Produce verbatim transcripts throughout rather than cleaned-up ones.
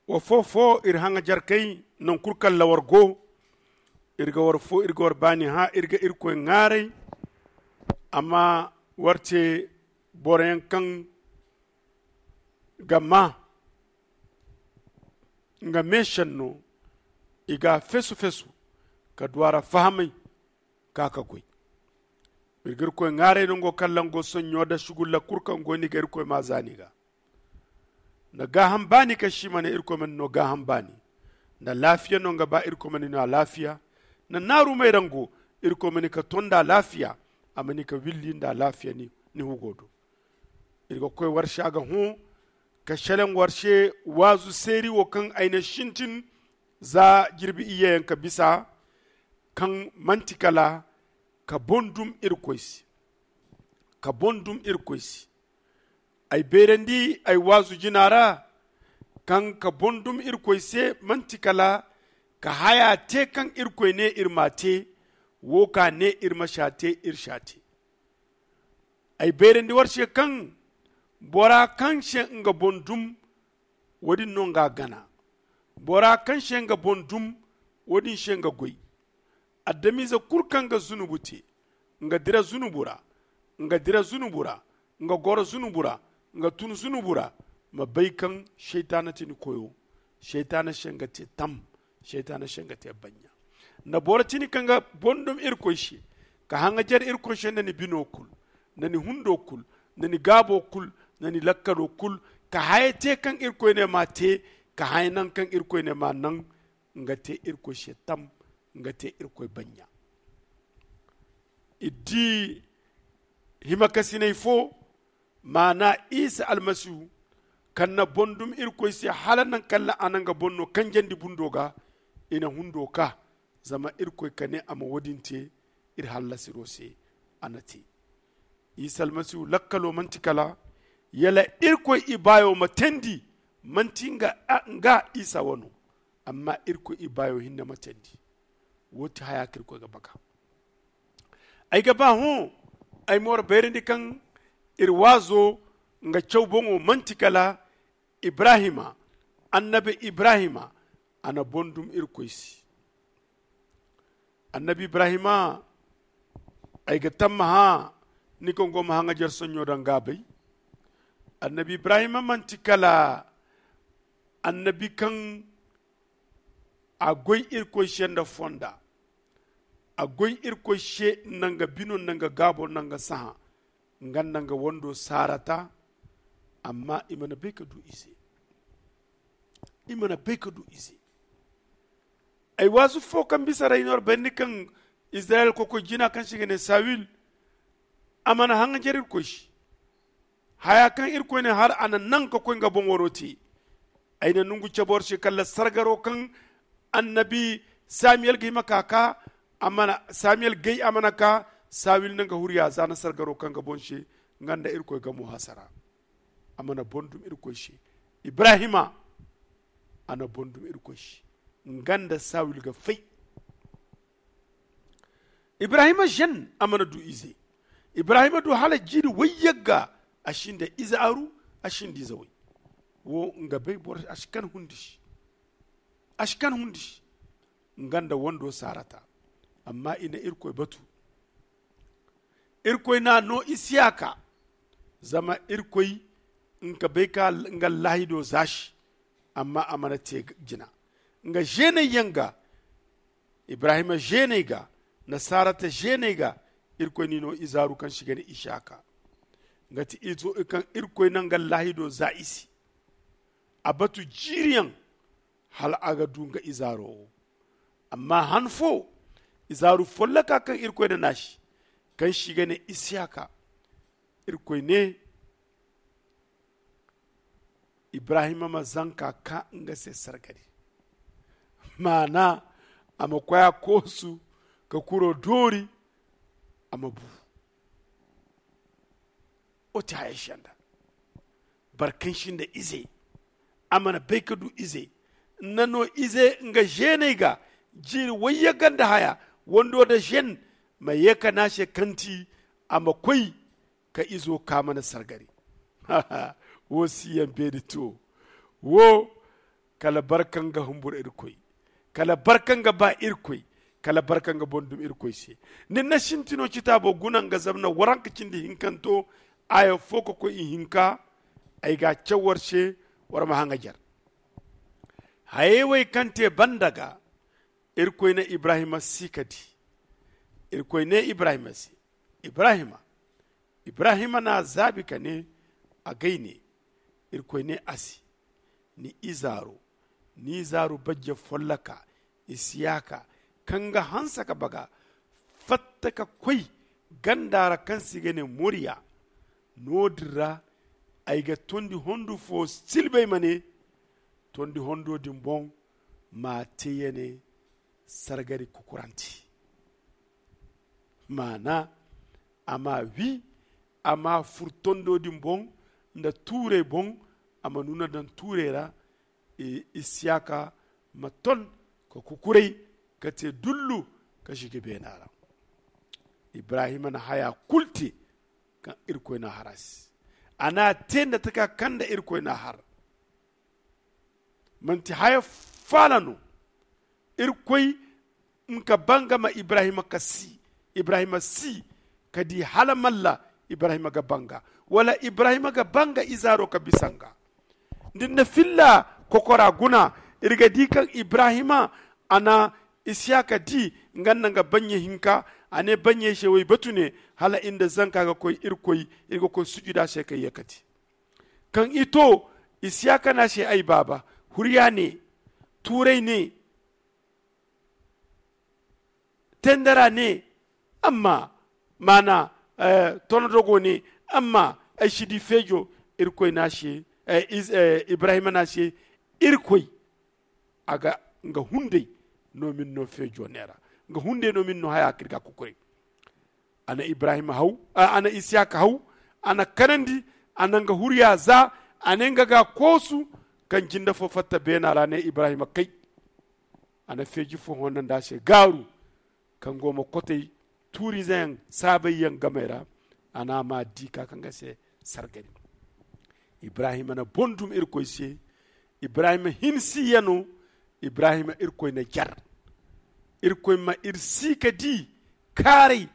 Wa foo foo iri haŋajarkey, naŋ kul kaŋ ra war go, iri ga war foo, iri ga war baani hã, iri ga Irkoy ŋwaaray. Amma war te boroyaŋ kaŋ ga maa nga meešenno, i ga a fesu-fesu ka du a ra fahamay, ka ka goy. Iri ga Irkoy ŋwaaray nango kaŋ ra nga go soɲɲo nda sugulla kul kaŋ go ni ga Irkoy maa za ni ga. Nda gaaham baani kaŋ se i ma ne Irkoy ma ni no gaaham baani. Nda laafiya no nga ba Irkoy ma ni no alaafiya. Nda naarumey ra nga go, Irkoy ma ni ka ton nda alaafiya, a ma ni ka willi nda alaafiya ni hugo do. Iri ga koy war se a ga hõ ka selaŋ war se waazu seeri wo kaŋ ay na sintin za jirbi iyyeyaŋ ka bisa, kaŋ manti kala ka boŋ dum Irkoy se. Ka boŋ dum Irkoy se. Ay beerandi ay waazu jina ra, kaŋ ka boŋ dum Irkoy se manti kala ka haya te kaŋ Irkoy ne iri m'a te, wo ka ne iri ma s'a te, iri s'a te. Ay beerandi war se kaŋ bora kaŋ se nga boŋ dum, wo-din no nga gana. Bora kaŋ se nga boŋ dum, wo-din se nga goy. Adamize kul kaŋ ga zunubu te, nga dira zunubu ra, nga dira zunubu ra, nga goro zunubu ra, nga tun zunubu ra, ma bay kaŋ Saytaana ti ni koyo. Saytaana se nga te tam. Saytaana se nga te banɲa. Nda boro tini kaŋ ga boŋ dum Irkoy se, ka haŋajar Irkoy se nda ni bino kul, nda ni hundo kul, nda ni gaabo kul, nda ni lakkalo kul, ka haya te kaŋ Irkoy ne m'a te, ka haya naŋ kaŋ Irkoy ne m'a naŋ, nga te Irkoy se tam, nga te Irkoy banɲa. I di himakasiney fo, maana Isa Almasihu, kaŋ na boŋ dum Irkoy se hala naŋ kaŋ ra a na nga boŋ no kanjandi bundo ga, i na hundo ka, zama Irkoy ka ne a ma wo-din te iri hallasiro se, a na te. Isa Almasihu lakkalo manti kala yala Irkoy ibaayo ma teendi, manti nga, nga Isa wano, amma Irkoy ibaayo hinne ma teendi. Wo ti haya kaŋ Irkoy ga baka. Ay ga ba hõ ay ma war bayrandi kaŋ iri waazo nga caw boŋo manti kala Ibrahima. Annabi Ibrahima, a na boŋ dum Irkoy se. Annabi Ibrahima, ay ga tammaha ni kaŋ go ma haŋajar soɲɲo daŋ ga a bay. Annabi Ibrahima manti kala annabi kaŋ a goy Irkoy se nda fonda. A goy Irkoy se nda nga bino, nda nga gaabo, nda nga sahã, nga nda nga wando Sarata. Amma i mana bay ka du ize. I mana bay ka du ize. Ay waazu fo kaŋ bisa ra i na war bayndi kaŋ Israyel kokoy jina kaŋ se i ga ne Sawil, a mana haŋajar Irkoy se. Haya kaŋ Irkoy ne hal a na naŋ ka koy nga boŋ waro te. Ay na nongu cabe war se kala sargaro kaŋ annabi Samiyel ga hima ka ka, a mana Samiyel gay, a mana ka. Sawil na nga huriya za na sargaro kaŋ ga boŋ se, nga nda Irkoy gamo hasara. A mana boŋ dum Irkoy se. Ibrahima, a na boŋ dum Irkoy se. Nga nda Sawil ga fay. Ibrahima zen, a mana du ize. Ibrahima du hala jiiri wayyagga, a sinda ize aru, a sinda ize way. Wo nga bay boro, a si kan hundi si. A si kan hundi si. Nga nda wando Sarata. Amma i na Irkoy batu. Irkoy n'a no Isiyaka. Zama Irkoy nga bay ka nga laahido za si. Amma a mana te jina. Nga zeeney yaŋ ga, Ibrahima zeeney ga, nda Sarata zeeney ga, Irkoy n'i no ize aru kaŋ se i ga ne Isiyaka. Nga ti izo kaŋ Irkoy na nga laahido za i se. A batu jiiri yaŋ, hala a ga du nga ize aro wo. Amma han fo, ize aru folloka kaŋ Irkoy na n'a se, kaŋ se i ga ne Isiyaka. Irkoy ne, Ibrahima ma zanka ka nga se sargari. Maana, a ma koy a koosu ka kuro doori, a ma bu. Wo ti haya senda. Boro kaŋ sinda ize, a mana bay ka du ize. Nda no ize nga zeeney ga, jiiri wayyagga nda haya, wando nda zen, ma ye ka ne a se kaŋ ti a ma koy ka izo ka mana sargari. Wo si yaŋ beeri to. Wo Kala barka nga humbur irkoy, kala barka nga ba irkoy, kala barka nga boŋ dum irkoy se. Ni na sintino citaabo guna nga zamna waranka cindi hinkanto, aya fo ka koy ihinka. Ay ga a caw war se, war ma haŋajar. Hayey wey kaŋ te banda ga, irkoy na ibrahima si ka di. Irkoy ne ibrahima se, ibrahima. Ibrahima n'a zaabi ka ne, agay ne. Irkoy ne a se, ni izaaro, ni izaaro bajje folloka, isiyaka, kaŋ ga hanse ka baga, fatta ka koy ganda ra kaŋ se i ga ne moriya. No- din ra ay ga tondi hondu fo silbay ma ne, tondi hondo din boŋ ma te ya ne sargari kukuranti. Maana, a ma wi, a ma fur tondo din boŋ nda tuurey boŋ, a ma nuna daŋ tuurey ra. Isiyaka ma ton ka kukuray ka te dullu ka sigi beena ra. Ibrahima na haya kulu te kaŋ irkoy na har a se. A na te nda taka kaŋ nda irkoy na har. Manti haya faala no. Irkoy nka banga ma ibrahima ka si, ibrahima si ka di hala malla ibrahima ga banga, wala ibrahima ga banga izaaro ka bisa nga. Din na filla kokora guna. Iri ga di kaŋ ibrahima a na isiyaka di nga nda nga banye hinka. A ne banye se way batu ne, hala iri nda zanka ga koy irkoy, iri ga koy sujuda se kay ya kati. Kaŋ i to, isiyaka na se ay baaba, huriya ne, tuuray ne, tendara ne, amma maana, tonodogo ne, amma ay si di feejo. Irkoy na se, ibrahima na se, irkoy a ga nga hunday no min no feejo neera. Nga hunday no min no haya kirga kukuray. A na ibrahima haw, a na isiyaka haw. A na kanandi, a na nga huriya za. A ne nga ga koosu kaŋ jinda fo fatta beena ra ne ibrahima kay. A na feeji fo honda nda se gaaru kaŋ go ma kotay tuurizeyaŋ saabayyaŋ gamay ra. A na ma di ka kaŋ ga se sargari. Ibrahima na bondum irkoy se. Ibrahima hinsi yano. Ibrahima irkoy na jar. Irkoy ma iri si ka di kaaray.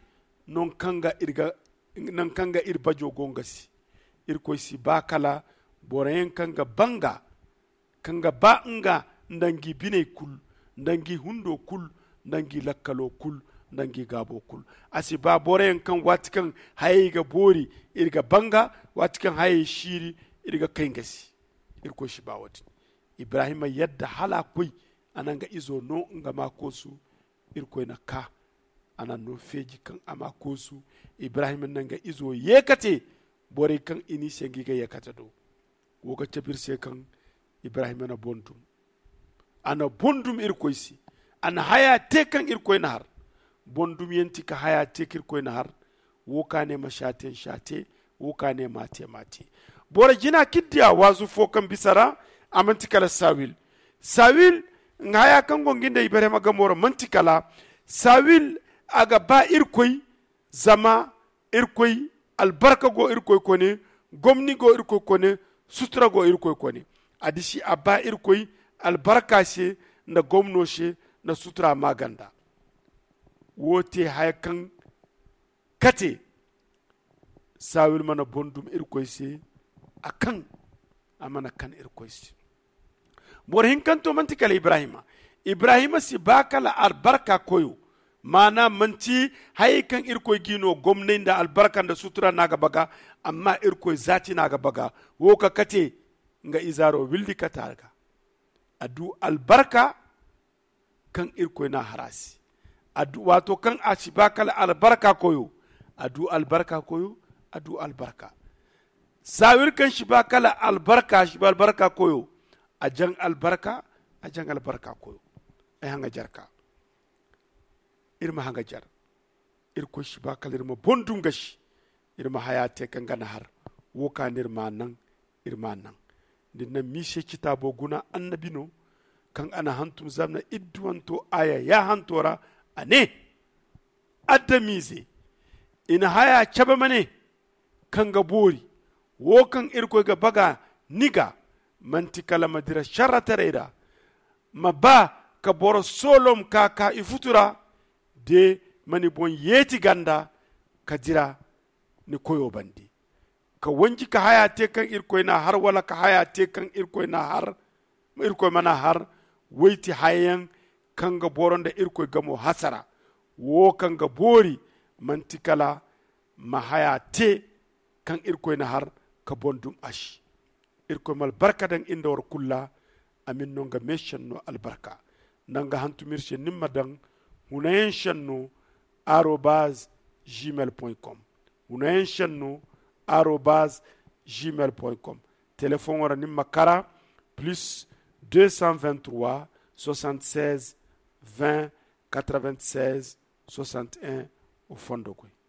Non kaŋ ga iri bajo go nga se. Irkoy si ba kala boroyaŋ kaŋ ga banga, kaŋ ga ba nga nda ngi biney kulu, nda ngi hundo kulu, nda ngi lakkalo kulu, nda ngi gaabo kulu. A si ba boroyaŋ kaŋ waati kaŋ hayey ga boori, iri ga banga. Waati kaŋ hayey siiri, iri ga kay nga se. Irkoy si ba wo- din. Ibrahima yadda hala a koy. A na nga izo no nga ma koosu. Irkoy na ka, a na no feeji kaŋ a ma koosu. Ibrahima na nga izo ye ka te borey kaŋ i n'i se ngi ga ye ka te do. Wo ga cabe iri se kaŋ ibrahima na bondum. A na bondum irkoy se. A na haya te kaŋ irkoy na har. Bondum yaŋ ti ka haya te kaŋ irkoy na har. Wo ka ne ma saaten saate. Wo ka ne ma te ma te. Boro jina kiddiya waazu fo kaŋ bisa ra. A manti kala sawil. Sawil nga haya kaŋ go ngi nda ibrahima gamo ra manti kala sawil. A ga ba irkoy. Zama irkoy albarka go irkoy kone. Gomni go irkoy kone. Sutura go irkoy kone. A disi a ba irkoy albarka se nda gomno se nda sutura maganda. Wo te haya kaŋ kate sawil mana bondum irkoy se. A kaŋ a mana kan irkoy se. Boro hinkanto manti kala ibrahima. Ibrahima si ba kala albarka koyo. Maana manti hayey kaŋ irkoy g'i no gomnay nda albarka nda sutura no a ga baga. Amma irkoy zaati no a ga baga. Wo ka kate nga izaaro wildi kate a ga. A du albarka kaŋ irkoy n'a har a se. Waato kaŋ a si ba kala albarka koyo. A du albarka koyo. A du albarka. Sawir kaŋ si ba kala albarka si ba albarka koyo. A jaŋ albarka. A jaŋ albarka koyo. Ay haŋa jarka. Iri ma haŋa jar. Irkoy si ba kala iri ma bondum gasi. Iri ma haya te kaŋ ga na har. Wo ka no iri ma naŋ. Iri ma naŋ. Din na miise citaabo guna annabi no kaŋ a na hantum zamna idduwanto aya ya hanto ra. A ne adamize i na haya cabe ma ne kaŋ ga boori. Wo kaŋ irkoy ga baga ni ga manti kala ma dira sarrataray ra. ma ba ka boro soolom ka ka i futu ra, de ma ni boŋ yeeti ganda ka dira ni koyo bande. Ka wanji ka haya te kaŋ irkoy n'a har wala ka haya te kaŋ irkoy n'a har, irkoy mana har. Wayti hayayaŋ kaŋ ga boro nda irkoy gamo hasara, wo kaŋ ga boori manti kala ma haya te kaŋ irkoy na har ka boŋ dum a se. Irkoy ma albarka daŋ iri nda war kulu ra. A ma iri no nga meešenno albarka. Nda nga hantum iri se ni ma daŋ hunayaŋ šenno arobaz gmail point com. Hunayaŋ šenno arobaz gmail point com. Telefoŋo ra ni ma kara plus deux cent vingt-trois soixante-seize vingt quatre-vingt-seize soixante-un. Wo fondo koy.